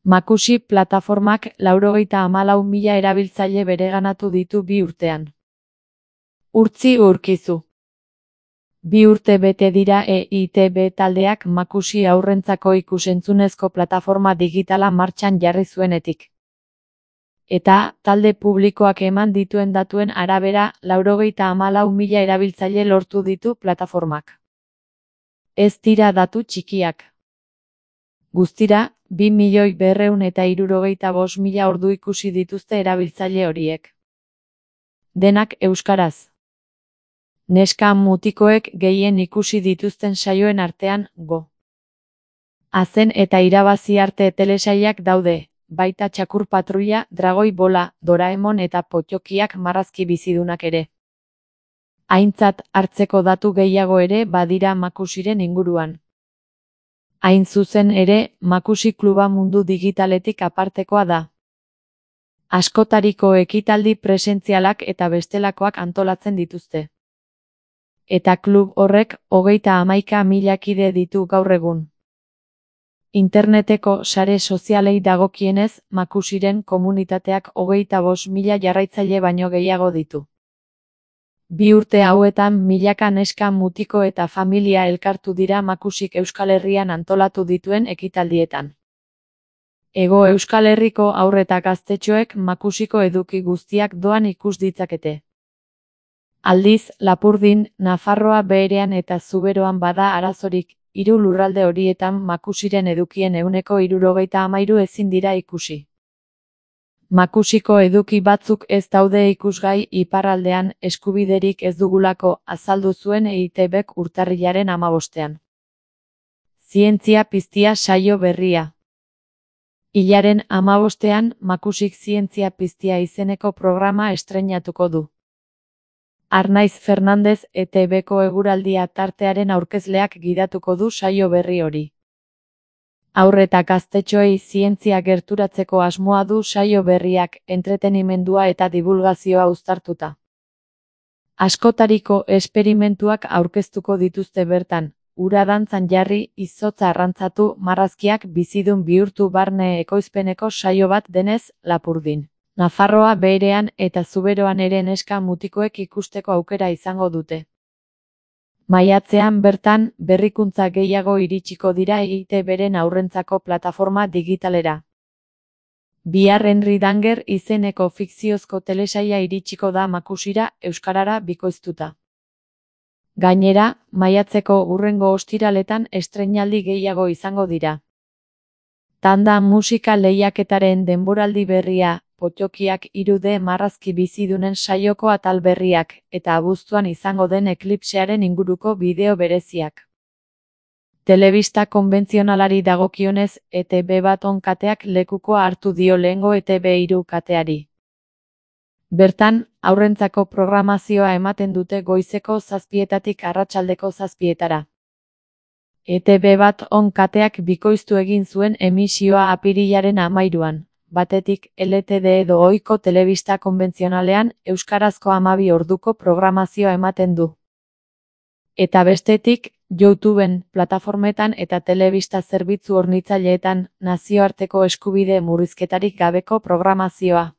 Makusi plataformak 94.000 erabiltzaile bereganatu ditu 2 urtean. Urtzi Urkizu. 2 urte bete dira EITB taldeak Makusi haurrentzako ikus-entzunezko plataforma digitala martxan jarri zuenetik. Eta, talde publikoak eman dituen datuen arabera, 94.000 erabiltzaile lortu ditu plataformak. Ez dira datu txikiak. Guztira, 2.265.000 ordu ikusi dituzte erabiltzaile horiek. Denak euskaraz. Neska mutikoek gehien ikusi dituzten saioen artean, Go! Azen eta irabazi arte telesailak daude, baita Txakur Patruila, Dragoi Bola, Doraemon eta Pottokiak marrazki bizidunak ere. Aintzat hartzeko datu gehiago ere badira Makusiren inguruan. Hain zuzen ere, Makusi kluba mundu digitaletik apartekoa da. Askotariko ekitaldi presentzialak eta bestelakoak antolatzen dituzte. Eta klub horrek 31.000 kide ditu gaur egun. Interneteko sare sozialei dagokienez, Makusiren komunitateak 25.000 jarraitzaile baino gehiago ditu. 2 urte hauetan milaka neska mutiko eta familia elkartu dira Makusik Euskal Herrian antolatu dituen ekitaldietan. Hego Euskal Herriko haur eta gaztetxoek Makusiko eduki guztiak doan ikus ditzakete. Aldiz, Lapurdin, Nafarroa Beherean eta Zuberoan bada arazorik, 3 lurralde horietan Makusiren edukien 73% ezin dira ikusi. Makusiko eduki batzuk ez daude ikusgai iparraldean eskubiderik ez dugulako azaldu zuen EITBek urtarrilaren 15ean. Zientzia piztia saio berria. Hilaren 15ean Makusik Zientzia piztia izeneko programa estreinatuko du. Arnaiz Fernandez ETBko eguraldia tartearen aurkezleak gidatuko du saio berri hori. Haur eta gaztetxoei zientzia gerturatzeko asmoa du saio berriak, entretenimendua eta divulgazioa uztartuta. Askotariko esperimentuak aurkeztuko dituzte bertan, ura dantzan jarri, izotza arrantzatu, marrazkiak bizidun bihurtu barne ekoizpeneko saio bat denez, Lapurdin, Nafarroa Beherean eta Zuberoan ere neska mutikoek ikusteko aukera izango dute. Maiatzean bertan, berrikuntza gehiago iritsiko dira EITBren haurrentzako plataforma digitalera. Bihar Henry Danger izeneko fikziozko telesaila iritsiko da Makusira euskarara bikoiztuta. Gainera, maiatzeko hurrengo ostiraletan estreinaldi gehiago izango dira. Tanda musika lehiaketaren denboraldi berria, Pottokiak 3D marrazki bizidunen saioko atal berriak, eta abuztuan izango den eklipsearen inguruko bideo bereziak. Telebista konbentzionalari dagokionez, ETB bat kateak lekukoa hartu dio lehengo ETB3 kateari. Bertan, haurrentzako programazioa ematen dute goizeko 7:00 arratsaldeko 7:00. ETB bat kateak bikoiztu egin zuen emisioa apirilaren 13ean. Batetik, LTD edo ohiko telebista konbentzionalean, euskarazko 12 orduko programazioa ematen du. Eta bestetik, YouTubeen, plataformetan eta telebista zerbitzu hornitzaileetan, nazioarteko eskubide murrizketarik gabeko programazioa.